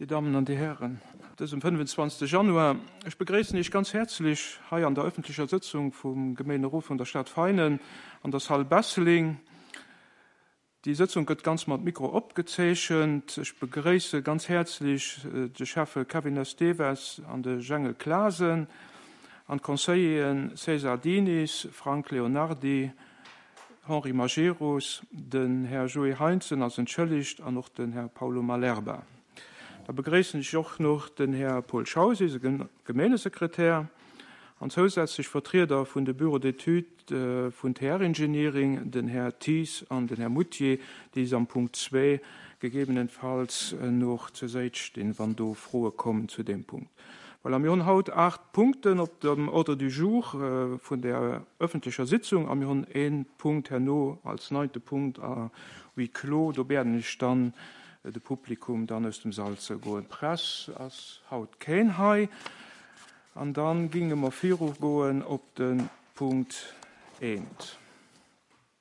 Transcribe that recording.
Dir Dammen an Dir Hären, op dësem 25. Januar, ech begréissen Iech ganz häerzlech hei an der öffentlecher Sëtzung vum Gemeenerot vun der Stad Veinen an der Salle Besseling. Déi Sëtzung gëtt ganz mat Mikro opgezeechent. Ech begréisse ganz häerzlech de Schäffe Kevin Esteves an de Jengel Clasen an d'Conseilleren César Diniz, Frank Leonardy, Henri Majerus, den Här Joé Heintzen ass entschëllegt an och den Här Paulo Malerba. Da begréissen ech och nach den Här Paul Schaus, eise Gemeengesekretär, an zousätzlech Vertrieder vun de Bureaux d'études vun TR Engineering, den Här Thies an den Här Moutier, déi s am Punkt zwee gegebenenfalls noch zur Säit stinn, wann do Froe kommen zu deem Punkt. Voilà, mir hunn haut aacht Punkten op dem Ordre du jour vun der öffentlecher Sitzung a mir hunn ee Punkt herno als neinte Punkt à huis clos. Do bieden ech dann de Publikum dann aus dem Sall ze goen. Press ass haut keen hei. An da ginge mer virugoen op de Punkt eent.